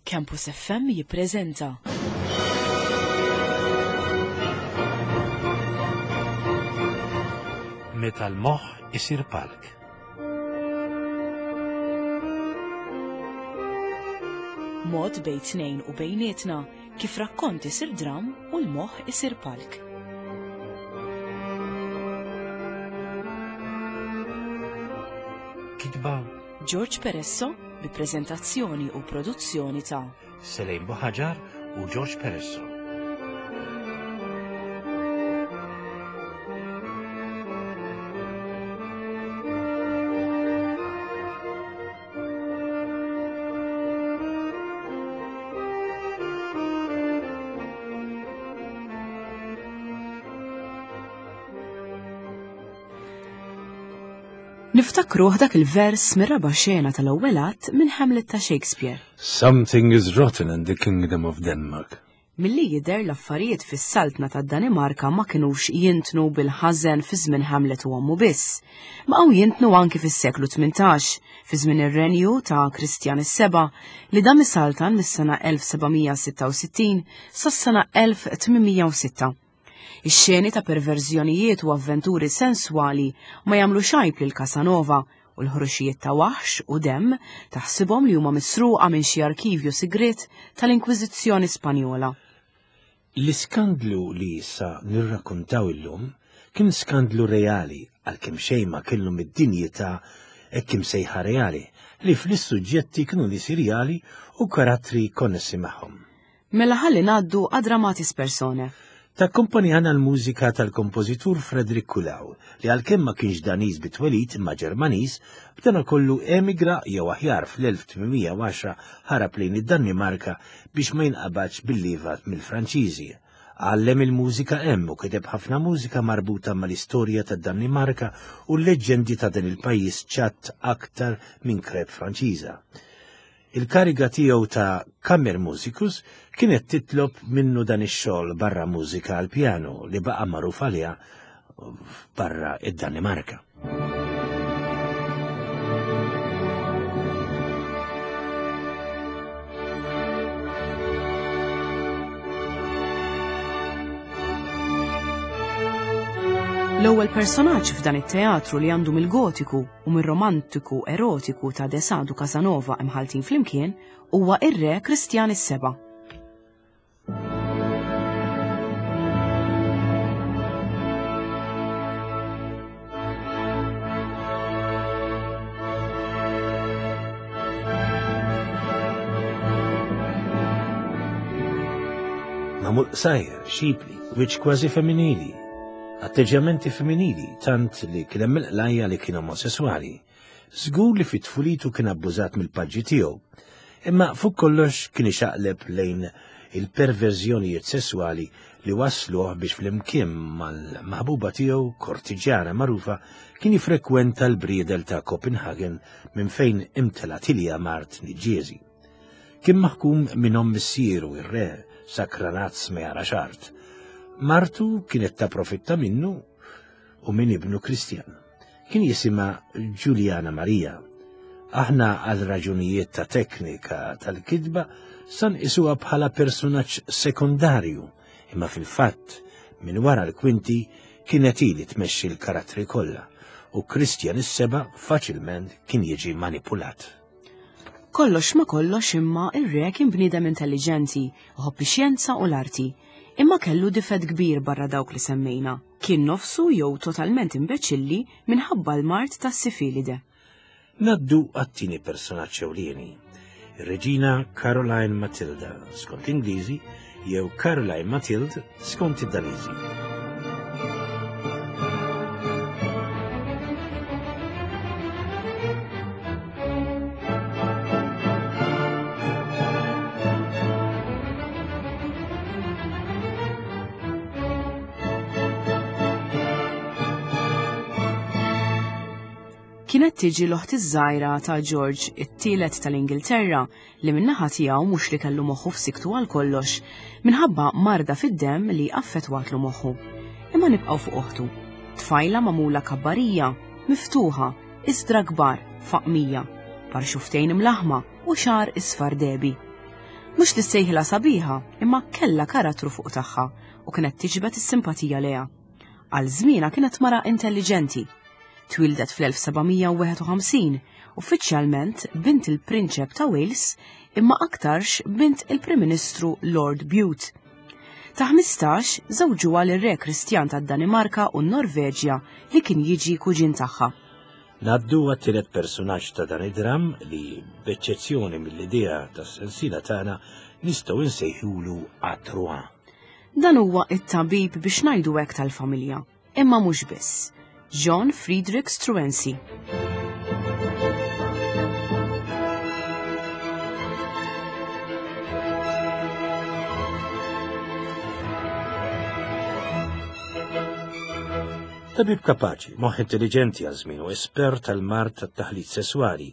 Campus FM jippreżenta. Meta l-moħħ isir palk. Mod bejn tnejn u bejnietna kif rakkont isir dram u l-moħħ isir palk. Kitba George Peresso bi preżentazzjoni u produzzjoni ta' Selejn Buħaġar u George Peresso. Niftakruh dak il-vers mir-raba' xena tal-ewwel att minn Hamlet ta' Shakespeare. Something is rotten in the kingdom of Denmark. Milli jidher l-affarijiet fis-saltna tad-Danimarka ma kinux jintnu bil-ħażen fi żmien Hamlet u ommu biss. Baqgħu jintnu anki fis-seklu 18, fi żmien ir-renju ta' Kristjan is-Seba' li dam isaltan mis-sena 1766 sas-sena 1806. Ix-xeni ta' perverżjonijiet u avventuri senswali ma jagħmlux għajb lil Casanova u l-ħruxijiet ta' waħx u demm taħsibhom li huma misruqa minn xi arkivju sigriet tal-Inkwiżizzjoni Spanjola. L-iskandlu li sa nirrakkuntaw illum kien skandlu reali għalkemm xejn ma kellu mid-dinjità hekk imsejħa reali li fl-issuġġetti kienu nies irjali u karattri konnessi magħhom. Mela ħalli ngħaddu għad-Dramatis Personae. Takkumpanjana l-mużika tal-kompożitur Frederick Kulau, li għalkemm ma kienx Daniż bi twelid imma Ġermaniż, b'danakollu emigra jew aħjar fl-1810 ħarab lejn id-Danimarka biex ma jinqabadx bil-lieva mill-Franċiżi. Għallem il-mużika hemm u kiteb ħafna mużika marbuta mal-istorja tad-Danimarka u l-leġġendi ta' dan il-pajjiż ċatt aktar minn krep Franċiża. Il-kariga tiegħu ta' Kammermusikus kienet titlob minnu dan ix-xogħol barra mużika għall-pjanu li baqa' magħruf għaliha barra id-Danimarka. L-ewwel personaġġ f'dan it-teatru li għandu mill-Gotiku u mir-romantiku erotiku ta' De Sade u Casanova imħalltin flimkien huwa ir-Re Kristjan is-Seba'. Magħmul qsajr, xipli, wiċċ kważi femminili, Atteġġjamenti femminili tant li kien hemm il-qlajja li kien omosesswali. Żgur li fi tfulitu kien abbużat mill-paġġi tiegħu. Imma fuq kollox kien ixaqleb lejn il-perverżjonijiet sesswali li wasluh biex flimkien mal-maħbuba tiegħu kortiġjana magħrufa kien jifrekwenta l-briedel ta' Copenhagen minn fejn imtela tilja mart niġġieżi. Kien maħkum minn omm missieru ir-re, sakranazz ma jarax art. Martu kienet tapprofitta minnu u minn ibnu Kristjan. Kien jisimha Ġuljana Marija. Aħna għal raġunijiet ta' teknika tal-kitba san isuha bħala personaġġ sekondarju, imma fil-fatt minn wara l-kwinti kienet ili tmexxi l-karattri kollha u Kristjan is-seba' faċilment kien jiġi manipulat. Kollox ma kollox imma ir-re kien bniedem intelliġenti, iħobb ix-xjenza u l-arti. Imma kellu difett kbir barra dawk li semmejna. Kien nofsu jew totalment imbeċilli minħabba l-mard tas-sifilide. Ngħaddu għat-tieni personaġġ ewlieni, ir-Reġina Caroline Matilda, skont l-Ingliżi, jew Caroline Mathilde skont id-Daniżi. Kienet tiġi l-oħt iż-żgħira ta' George it-tielet tal-Ingilterra li min-naħa tiegħu mhux li kellu moħħu f'siktu għal kollox minħabba marda fid-demm li affettwatlu moħħu. Imma nibqgħu fuq oħtu. Tfajla magħmula kabbarija, miftuħa, iżdra kbar, faqmija, par xuftejn imlaħma u xagħar isfar dehbi. Mhux li ssejħilha sabiħa, imma kellha karattru fuq tagħha u kienet tiġbed is-simpatija lejha. Għal żmienha kienet mara intelliġenti. Twieldet fl-1751, uffiċjalment bint il-Prinċep ta' Wales imma aktarx bint il-Prim Ministru Lord Bute. Ta' 15 żewġuha lir-Re Kristjan tad-Danimarka u n-Norveġja li kien jiġi kuġin tagħha. Ngħaddu għat-tielet persunaġġ ta' dan id-dramm li, b'eċċezzjoni mill-idea tas-sensiela tagħna, nistgħu nsejħulu Atrua. Dan huwa t-tabib biex ngħidu hekk tal-familja, imma mhux biss. John Friedrich Struensee. Tabib kapaċi, moħħ intelliġenti għal żmienu, espert tal-mard tat-taħlit sesswali,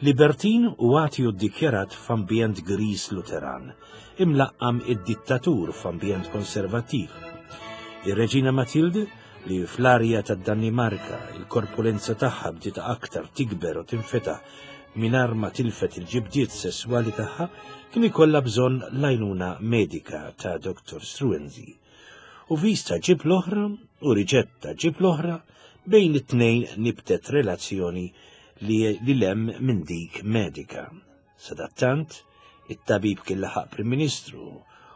libertin u atju ddikjarat f'ambjent griż Luteran, imlaqqam id-dittatur f'ambjent konservattiv. Ir-Reġina Matilde, li fl-arja tad-Danimarka il-korpulenza tagħha bdiet aktar tikber u tinfetaħ mingħajr ma tilfet il-ġibdiet sesswali tagħha, kien ikollha bżonn l-għajnuna medika ta' Dr. Struensee. U vista ġib l-oħra u riċetta ġib l-oħra bejn it-tnejn nibtet relazzjoni li lem minn dik medika. Sadattant, it-tabib kien laħaq Prim Ministru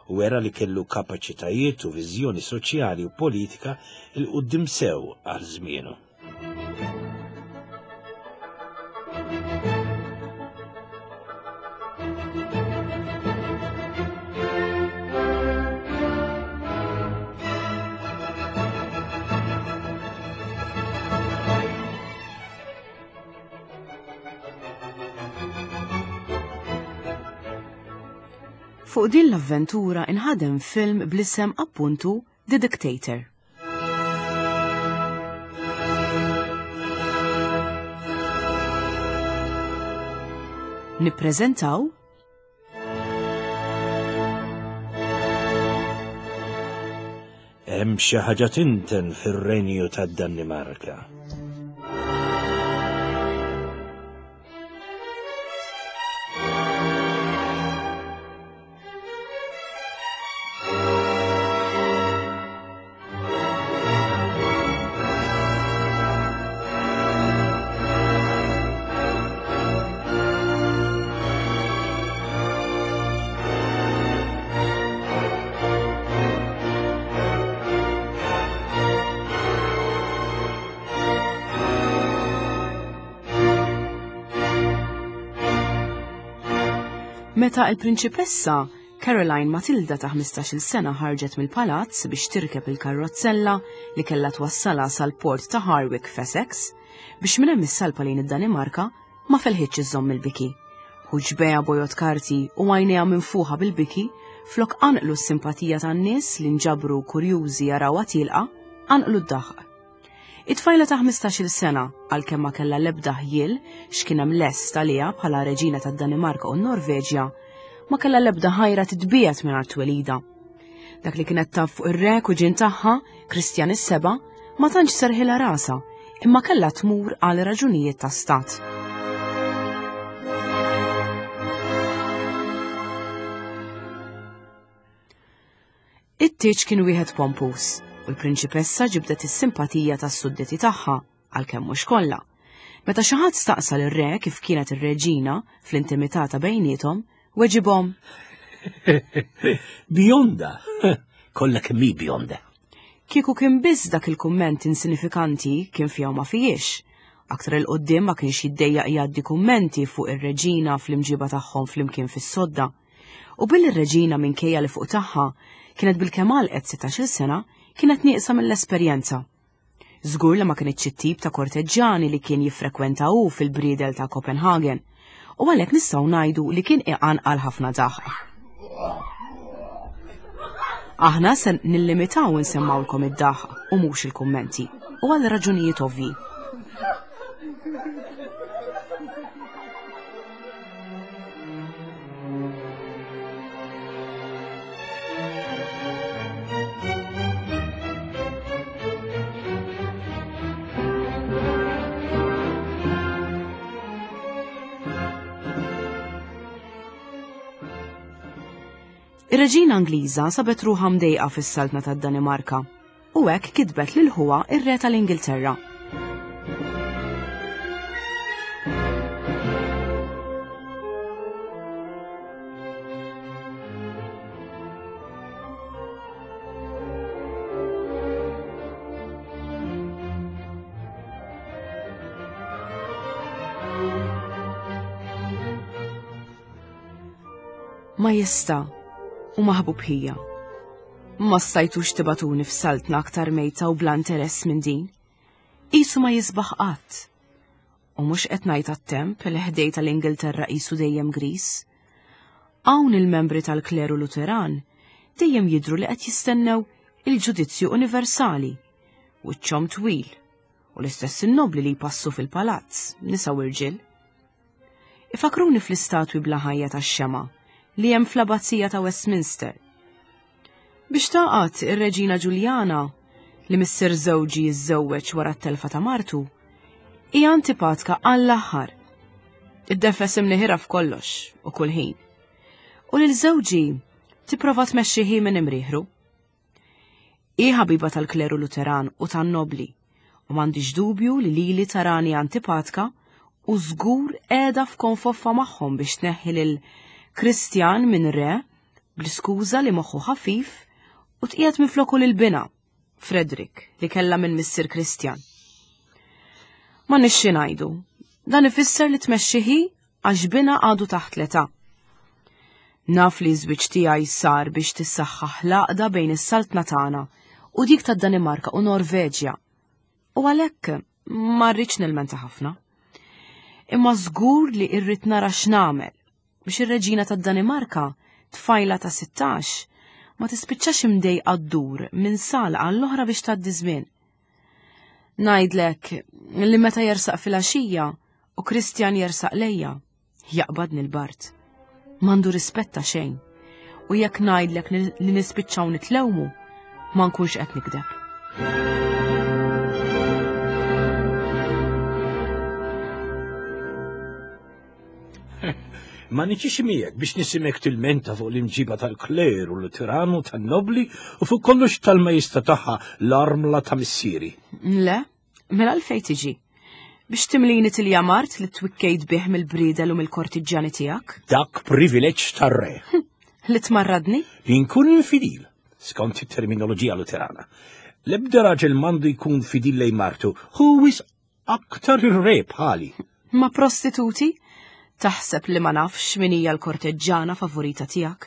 u wera li kellu kapaċitajiet u viżjoni soċjali u politika 'l quddiem sew għal żmienu. Fuq din l-avventura inħadem film bl-isem appuntu The Dictator. Nippreżentaw Hemm xi ħaġa tinten fir-Renju tad-Danimarka. Meta il-prinċipessa Caroline Matilda ta' 15-il sena ħarġet mill-palazz biex tirkeb il-karrozzella li kellha twassalha sal-port ta' Harwick f'Essex, biex minn hemm issalpa lejn id-Danimarka, ma felħitx iżżomm il-biki. Ħuġbejha bojod karti u għajnejha minfuħa bil-biki, flok qanqlu s-simpatija tan-nies li nġabru kurjużi jarawha tielqa, qanqlu d-daħq. It-tfajla ta' 15-il sena, għalkemm ma kellha l-ebda ħjiel x'kien hemm lest għaliha bħala reġina tad-Danimarka u n-Norveġja, ma kellha l-ebda ħajra titbiegħed minn art twelidha. Dak li kienet taf fuq ir-re kuġin tagħha, Kristjan is-Seba', ma tantx serħilha rasha, imma kellha tmur għal raġunijiet ta' stat. It-tieġ kien wieħed pompuż u l-prinċipessa ġibdet is-simpatija tas-sudditi tagħha, għalkemm mhux kollha. Meta xi ħadd staqsa lir-re kif kienet ir-reġina fl-intimità ta' bejniethom, weġibhom. Bjonda! Kollha kemm hi bjonda. Kieku kien biss dak il-kumment insinifikanti kien fiha u ma fihiex. Aktar 'il quddiem ma kienx jiddejjaq jgħaddi kummenti fuq ir-reġina fl-imġiba tagħhom flimkien fis-sodda. U billi r-reġina minkejja li fuq tagħha kienet bilkemm għalqet 16-il sena, kienet nieqsa mill-esperjenza. Żgur li ma kinitx it-tip ta' korteġġjani li kien jiffrekwenta hu fil-briedel ta' Copenhagen, u għalhekk nistgħu ngħidu li kien iqanqal ħafna daħq. Aħna se nillimitaw insemmawlkom id-daħq u mhux il-kummenti, u għal raġunijiet ovvji. Ir-reġina Ingliża sabet ruħha mdejqa fis-Saltna tad-Danimarka u hekk kitbet lil ħuha ir-Re tal-Ingilterra. Majestà u maħbub ħija, ma stajtux tibatuni f'saltna aktar mejta u bla interess minn din. Qisu ma jisbaħ qatt. U mhux qed ngħid għat-temp li ħdej tal-Ingilterra qisu dejjem gris. Hawn il-membri tal-kleru Luteran dejjem jidhru li qed jistennew il-ġudizzju universali, wiċċhom twil, u l-istess in-nobbli li jpassu fil-palazz, nisa u rġiel. Ifakruni fl-istatwi bla ħajja tax-xema li hemm fl-Abbazija ta' Westminster. Biex taqgħad ir-Reġina Ġuljana li missier żewġi jiżżewweġ wara t-telfa ta' martu, hija antipatka għall-aħħar. Iddefes imniħira f'kollox u kull ħin. U lil żewġi tipprova tmexxi minn imrieħru. Hi ħabiba tal-kleru Luteran u tan-nobbli, u m'għandix dubju li lili tarani antipatka u żgur qiegħda f'konfoffa magħhom biex tneħħi lil Kristjan minn re bl-iskuża li moħħu ħafif u tqiegħed minfloku lil binha, Frederick, li kellha minn missier Kristjan. M'għandniex xi ngħidu, dan ifisser li tmexxi hi għax binha għadu taħt l-età. Naf li ż-żwieġ tiegħi sar biex tissaħħaħ l-għaqda bejn is-saltna tagħna u dik tad-Danimarka u Norveġja. U għalhekk ma rridx nilmenta ħafna. Imma żgur li rrid nara x'nagħmel biex ir-reġina tad-Danimarka, tfajla ta' 16, ma tispiċċax imdejqa ddur minn sala għall-oħra biex tgħaddi żmien. Ngħidlek li meta jersaq filgħaxija u Kristjan jersaq lejja, jaqbadni l-bard. M'għandu rispett ta' xejn. U jekk ngħidlek li nispiċċaw nitlewmu, ma nkunx qed nikdeb. Ma niġix miegħek biex nisimek tilmenta fuq l-imġiba tal-kleru, l-tiranu, tan-nobli u fuq kollox tal-majesta tagħha l-armla ta' missieri. Le, mela għalfejn tiġi? Biex timlini tilja mart li twikkejt bih mill-bridel u mill-kortiġġjani tiegħek? Dak privileġġ tar-re. Li tmarradni? Li nkun infidil, skont it-terminoloġija Luterana. L-ebda raġel m'għandu jkun fidil lejn martu, hu wisq Aktar ir-re bħali. Ma prostituti? Taħseb li ma nafx min hija l-korteġġana favorita tiegħek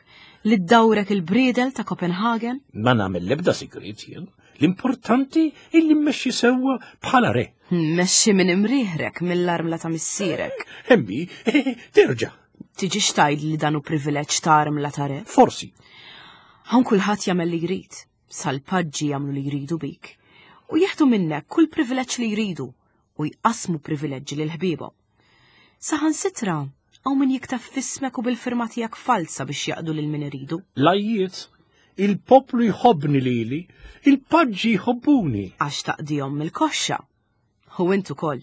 li ddawrek il-briedel ta' Copenhagen? Ma nagħmel l-ebda sigriet jien. L-importanti illi mmexxi sewwa bħala re. Mmexxi minn imrieħrek mill-armla ta' missierek. Hemmi, terġa'. Tiġi xtajd li dan hu privileġġ ta' armla ta' re? Forsi. Hawn kulħadd jagħmel li jrid. Sal-paġġi jagħmlu li jridu bik u jieħdu minnek kull privileġġ li jridu u jqassmu privileġġi lil ħbiebhom. Saħansitra hawn min jikteb f'ismek u bil-firma tiegħek falsa biex jaqdu lil min iridu. Lajjiet, il-poplu jħobbni lili, il-paġġi jħobbuni. Għax taqdihom mill-koxxa. U int ukoll.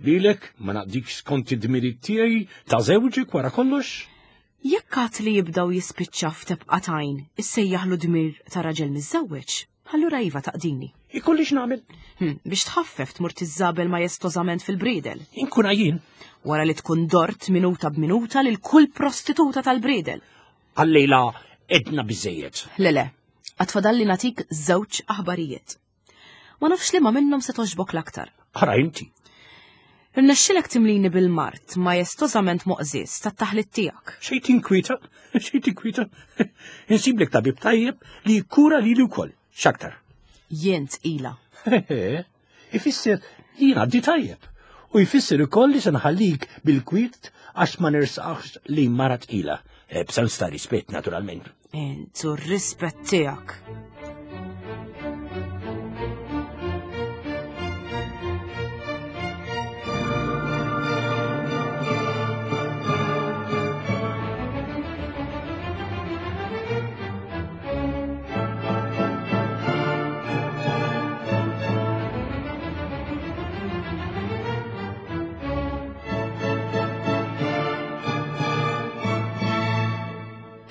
Lilek ma naqdikx skont id-dmirijiet tiegħi ta' żewġek wara kollox? Jekk għad li jibda u jispiċċa f'tebqa t'għajn issejjaħlu dmir ta' raġel miżżewweġ, allura iva taqdini. Ikolli x'nagħmel? Hm, biex tħaffef tmur tiżżabel majestożament fil-briedel. Inkun għajjien. Wara li tkun dort minuta b'minuta lil kull prostituta tal-briedel. Għallejla edna biżejjed. Le le, għad fadalli nagħtik żewġ aħbarijiet. Ma nafx liema minnhom se togħġbok l-aktar. Ara inti. Irnexxilek timlini bil-mard majestożament moqżież tat-taħlit tiegħek. Xejn tinkwieta, xejn tinkwieta. Insiblek tabib tajjeb li jikkura lili wkoll. X'aktar? Jien tqila. Ifisser li jien għaddi tajjeb. U jfisser ukoll li se nħallik bil-kwiet għax ma nersaqx li mara tqila. Eh, b'sens ta' rispett, naturalment. Int u r-rispett tiegħek.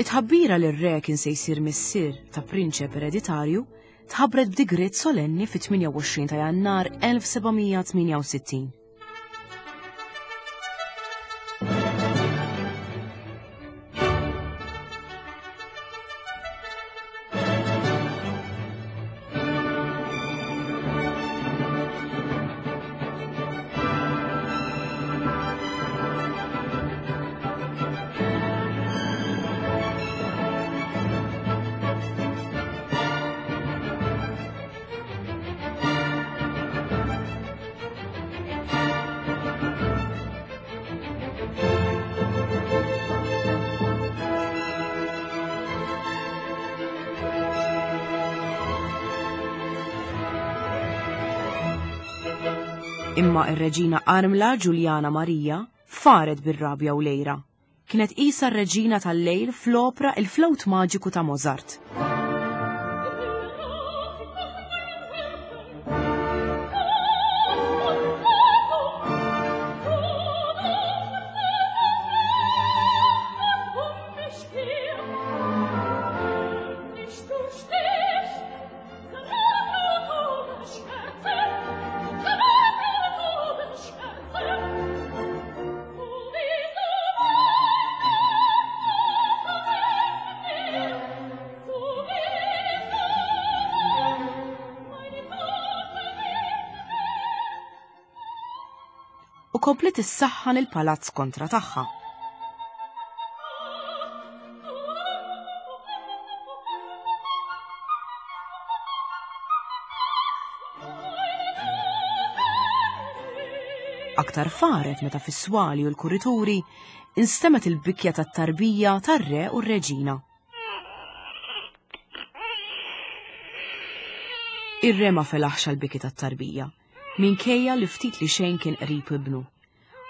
It-tħabbira li r-re kien se jsir missier ta' prinċep ereditarju tħabbret b'digriet solenni fit-28 ta' Jannar 1768. Imma ir-reġina armla Ġuljana Marija faret bir-rabja u lejra. Kienet qisha r-reġina tal-lejl fl-opra Il-Flawt Maġiku ta' Mozart. U kompliet issaħħan il-palazz kontra tagħha. Aktar faret meta fis-swali u l-kurituri instemgħet il-bikja tat-tarbija tar-re u r-reġina. Ir-re ma felaħx għall-biki tat-tarbija, minkejja li ftit li xejn kien qrib ibnu.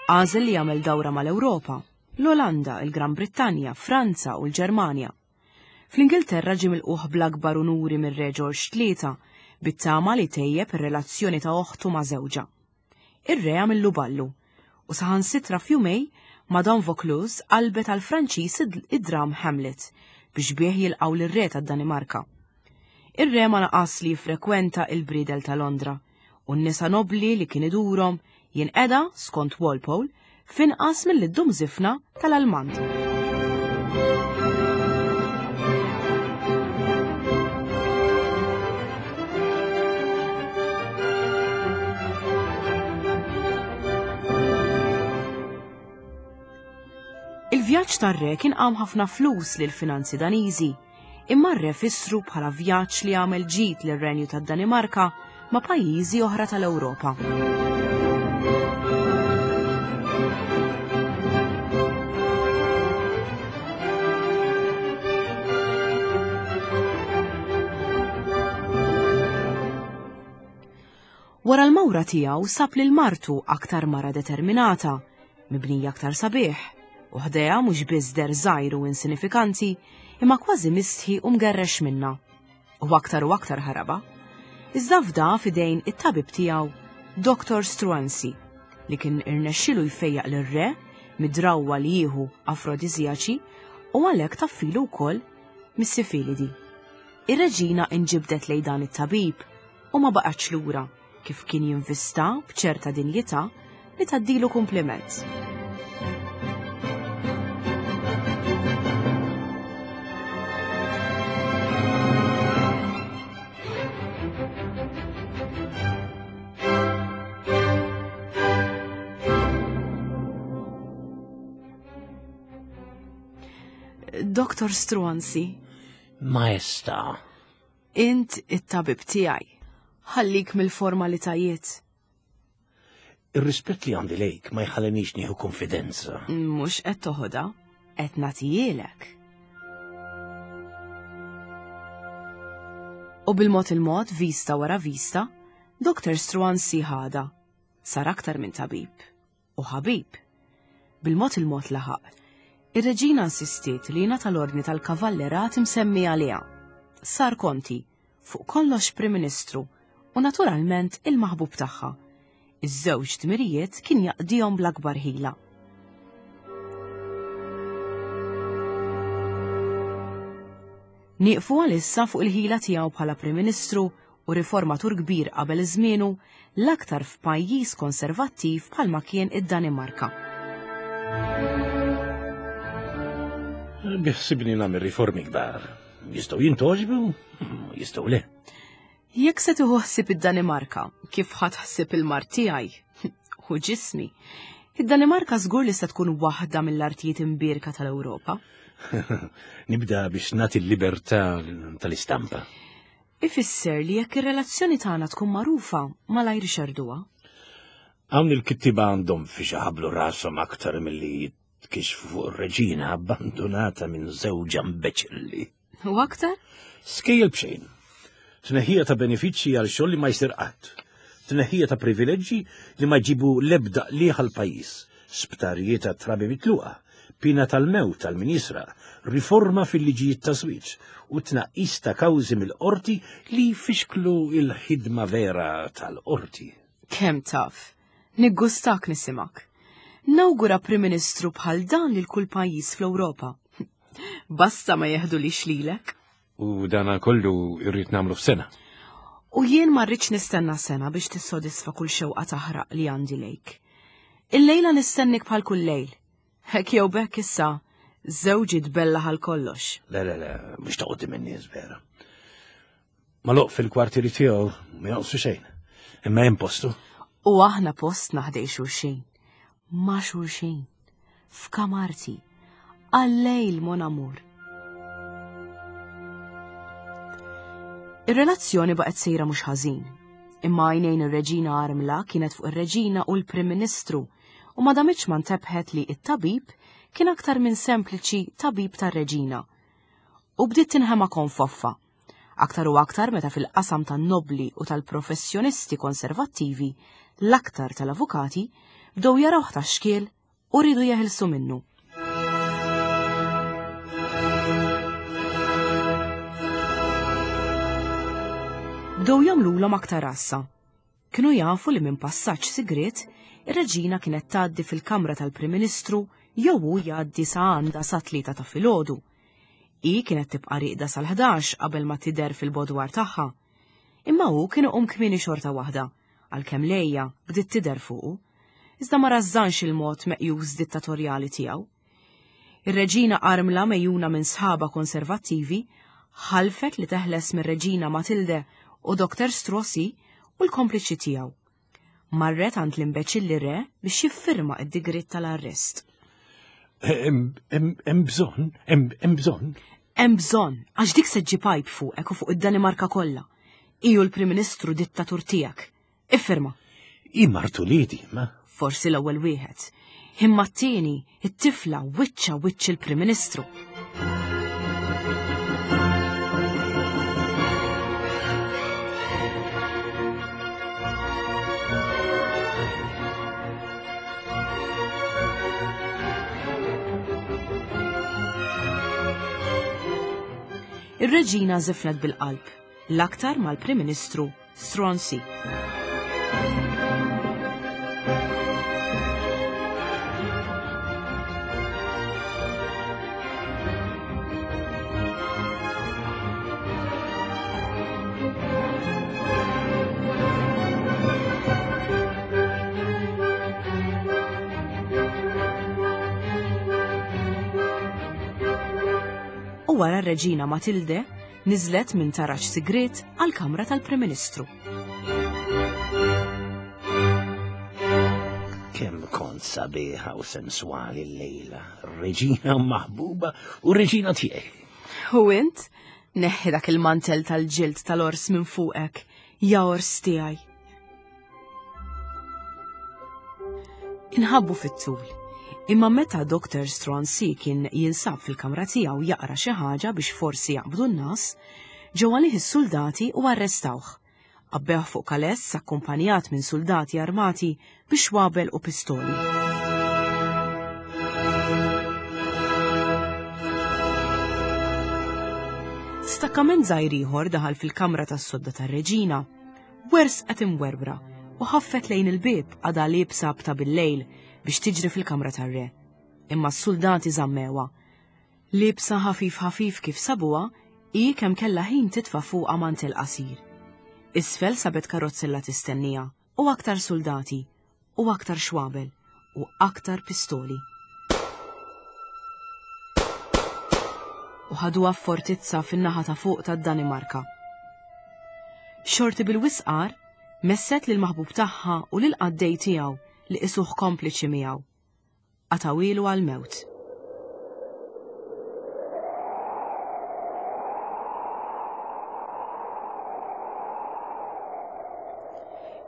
Għażel li jagħmel dawra mal-Ewropa, l-Olanda, il-Gran Brittanja, Franza u l-Ġermanja. Fl-Ingilterra ġie milqugħ bl-akbar unuri mir-Re Ġorġ Tlieta, bit-tama li tejjeb ir-relazzjoni ta' oħtu ma' żewġha. Ir-Re għamillu ballu, u saħansitra f'jumej, Madame Vaucluse qalbet għall-Franċiż id-dramm Hamlet biex bih jilqgħu lir-Re tad-Danimarka. Ir-Re ma naqas li jiffrekwenta il-briedel ta' Londra, u n-nisa nobbli li kien idurhom jinqeda, skont Walpole, f'inqas milli ddum żifna tal-almand. Il-vjaġġ tar-re kien qam ħafna flus lil finanzi Daniżi imma r-re fissru bħala vjaġġ li għamel ġid lir-Renju tad-Danimarka ma' pajjiżi oħra tal-Ewropa. Wara l-mawra tiegħu sab lil martu aktar mara determinata, mibnija aktar sabiħ, u ħdejha mhux biss deher żgħir u insinifikanti, imma kważi mistħi u mgerrex minnha. U aktar u aktar ħarabha. Iżda fda f'idejn it-tabib tiegħu, Dr. Struansi, li kien irnexxielu jfejjaq lir-re mid-drawwa li jieħu afrodiżjaċi u għalhekk taffilu wkoll mis-sifilidi. Ir-reġina inġibdet lejn dan it-tabib u ma baqgħetx lura kif kien jinvista b'ċerta dinjità li tgħaddilu kumpliment. Dr. Struansi. Maestà. Int it-tabib tiegħi. Ħallik mill-formalitajiet. Ir-rispett li għandi lejk ma jħallinix nieħu konfidenza. Mhux qed toħodha, qed nagħtijielek. U bil-mod il-mod, vista wara vista, Dr. Struansi ħada. Sar aktar minn tabib. U ħabib. Bil-mod il-mod laħaq. Ir-reġina insistiet li jingħata l-ordni tal-kavallerat imsemmi għaliha. Sar konti, fuq kollox Prim Ministru u naturalment il-maħbub tagħha. Iż-żewġ dmirijiet kien jaqdihom bl-akbar ħila. Nieqfu għalissa fuq il-ħila tiegħu bħala Prim Ministru u riformatur kbir qabel żmienu, l-aktar f'pajjiż konservattiv bħalma kien id-Danimarka. Biħsibni nagħmel riformi kbar. Jistgħu jintgħoġbu, jistgħu le. Jekk se tieħu ħsieb id-Danimarka, kif ħadt ħsieb il-mard tiegħi u ġismi, id-Danimarka żgur li se tkun waħda mill-artijiet imbierka tal-Ewropa. Nibda biex nagħti l-libertà tal-istampa. Ifisser li jekk ir-relazzjoni tagħna tkun magħrufa, malajr ixerduha. Hawn il-kittieba għandhom fiex iħabblu rashom aktar milli jitkixxfu fuq ir-reġina abbandunata minn żewġha mbeċilli. U aktar? Skejjel b'xejn. Tneħħija ta' benefiċċji għal xogħol li ma jsir qatt. Tneħħija ta' privileġġi li ma jġibu l-ebda qligħ għall-pajjiż. Sptarijiet għat-trabi mitluqa. Piena tal-mewt għal min jisraq. Riforma fil-liġijiet ta' żwieġ u tnaqqis ta' kawżi mill-qorti li jfixklu l-ħidma vera tal-qorti. Kemm taf? Niggustak nisimgħek. Nawgura Prim Ministru bħal dan lil kull pajjiż fl-Ewropa. Basta ma jeħdulix lilek. U dana kollu irrid nagħmlu f'sena. U jien ma rridx nistenna sena biex tissodisfa kull xewqa taħraq li għandi lejk. Illejla nistennik bħal kull lejl. Hekk jew bekk issa, żewġi tbellaħ għal kollox. Le, le, le, mhux ta' quddiem in-nies vera. Maluq fil-kwartieri tiegħu ma jonqsu xejn. Imma hemm postu. U aħna postna ħdej xulxin. Ma' xulxin. F'kamarti. Għal-lejl mon amour. Ir-relazzjoni baqgħet sejra mhux ħażin. Imma għajnejn ir-reġina armla kienet fuq ir-reġina u l-Prim Ministru u ma damitx ma ntebħet li t-tabib kien aktar minn sempliċi tabib tar-reġina. U bdiet tinħema konfoffa. Aktar u aktar meta fil-qasam tan-nobbli u tal-professjonisti konservattivi, l-aktar tal-avukati, bdew jarawh ta' xkiel u riedu jeħilsu minnu. Bdew jagħmlulhom aktar għassa. Kienu jafu li minn passaġġ sigriet, ir-reġina kienet tgħaddi fil-kamra tal-Prim Ministru jew hu jgħaddi sa għandha sat-tlieta ta' filgħodu. Hi kienet tibqa' rieqda sal-ħdax qabel ma tidher fil-bodwar tagħha. Imma hu kien iqum kmieni xorta waħda, għalkemm l-għeja bdiet tidher fuqu. Iżda ma rażżanx il-mod meqjus dittatorjali tiegħu. Ir-reġina armla megħjuna minn sħabha konservattivi ħalfet li teħles mir-reġina Matilde u Dr. Strossi u l-kompliċi tiegħu. Marret għand l-imbeċilli re biex jiffirma id-digriet tal-arrest. Hemm bżonn, hemm bżonn. Hemm bżonn, għax dik se ġġib għajb fuqek u fuq id-Danimarka kollha. Iju l-Prim Ministru dittatur tiegħek. Iffirma. Hi mart uliedi, ma. Forsi l-ewwel wieħed. Imma t-tieni, it-tifla wiċċa wiċċ il-Prim Ministru. Ir-reġina żifnet bil-qalb, l-aktar mal-Prim Ministru Stronsey. U wara r-Reġina Matilde Niżlet minn taraġ sigriet għall-kamra tal-Prim Ministru. Kemm kont sabiħa u senswali llejla, reġina maħbuba u reġina tiegħi. U int? Neħħi dak il-mantel tal-ġild tal-ors minn fuqek, ja ors tiegħi. Inħabbu fit-tul. Imma meta Dr. Stronsey kien jinsab fil-kamra tiegħu jaqra xi ħaġa biex forsi jaqbdu n-nas, ġew għalih is-suldati u arrestawh. Għabbewh fuq kaless akkumpanjat minn suldati armati bi xwabel u pistoli. Stakkament żgħir ieħor daħal fil-kamra tas-sodda tar-reġina. Wersqet imwerwra u ħaffet lejn il-bieb għadha liebsa b'ta' bil-lejl biex tiġri fil-kamra tar-re. Imma s-suldati żammewha. Liebsa ħafif ħafif kif sabuha, Hi kemm kellha ħin titfa' fuqha mantel qasir. Isfel sabet karozzella tistenniha u aktar suldati u aktar xwabel u aktar pistoli. U ħaduha f'fortizza fin-naħa ta' fuq tad-Danimarka. Xorti bil-wisqar messet lil maħbub tagħha u lil qaddej tiegħu li qisuh kompliċi miegħu. Qatgħuhielu għall-mewt.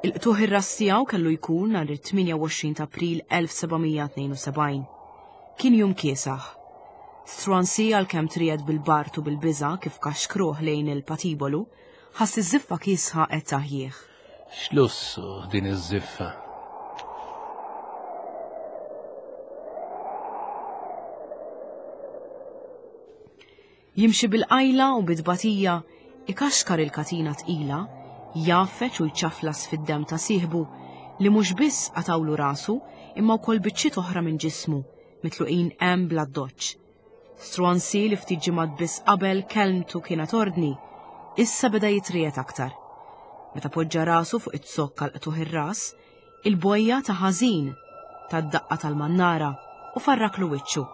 Il-qtugħ ir-ras tiegħu kellu jkun nhar it-28 ta' April 1772. Kien jum kiesaħ. Struansi għalkemm triegħed bil-bard u bil-biża' kif kaxkruh lejn il-patibolu, ħass iż-żiffa kiesħa qed taħjih. X'lussu din iż-żiffa! Jimxi bil-qajla u bit-tbatija, ikaxkar il-katina tqila, jgħaffeġ u jċaflas fid-demm ta' sieħbu li mhux biss qatgħulu rasu imma wkoll biċċiet oħra minn ġismu, mitluqin hemm bl-addoċċ. Struansi li ftit ġimgħat biss qabel kelmtu kienet ordni, issa beda jitriegħed aktar. Meta poġġa rasu fuq iz-zokk għal qtugħ ir-ras, il-bojja ta' ħażin tad-daqqa tal-mannara u farraklu wiċċu.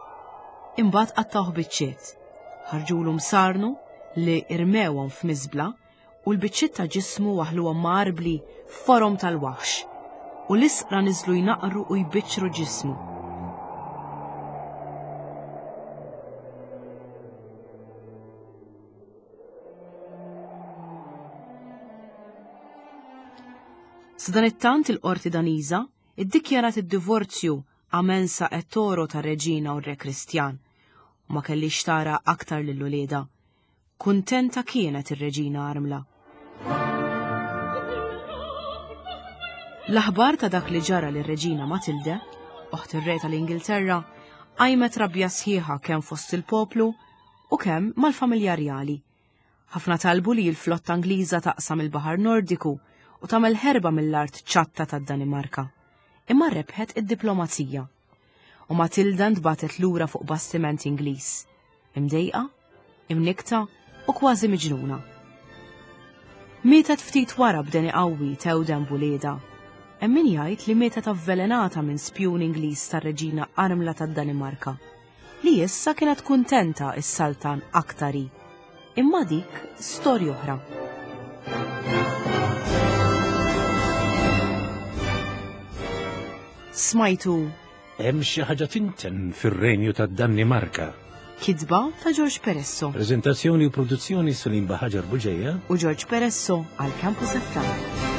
Imbagħad qattgħuh biċċiet. Ħarġulu msarnu li rmewhom f'miżbla u l-biċċiet ta' ġismu waħħluhom ma' arbli f'forom tal-waħx, u l-isqra niżlu jnaqqru u jbiċċru ġismu. Sadanittant il-qorti Daniża iddikjarat id-divorzju a mensa et thoro tar-Reġina u r-Re Kristjan, u ma kellhiex tara aktar lil uliedha. Kuntenta kienet ir-Reġina armla. L-aħbar ta' dak li ġara lir-Reġina Matilde, oħt ir-Re tal-Ingilterra, qajmet rabja sħiħa kemm fost il-poplu u kemm mal-familja rjali. Ħafna talbu li l-flotta Ingliża taqsam il-Baħar Nordiku u tagħmel ħerba mill-art ċatta tad-Danimarka. Imma rebħet id-diplomazija. U Matilda ntbagħtet lura fuq bastiment Ingliż. Imdejqa, imnikkta u kważi miġnuna. Mietet ftit wara b'deni qawwi tewden b'uliedha. Hemm min jgħid li mietet avvelenata minn spjun Ingliż tar-Reġina Armla tad-Danimarka, li issa kienet kuntenta s-saltan aktar hi. Imma dik storja oħra. Smajtu Hemm xi ħaġa tinten fir-Renju tad-Danimarka. Kitba ta' George Peresso. Preżentazzjoni u produzzjoni Salim Baħaġar Buġeja u George Peresso għal Campus FM.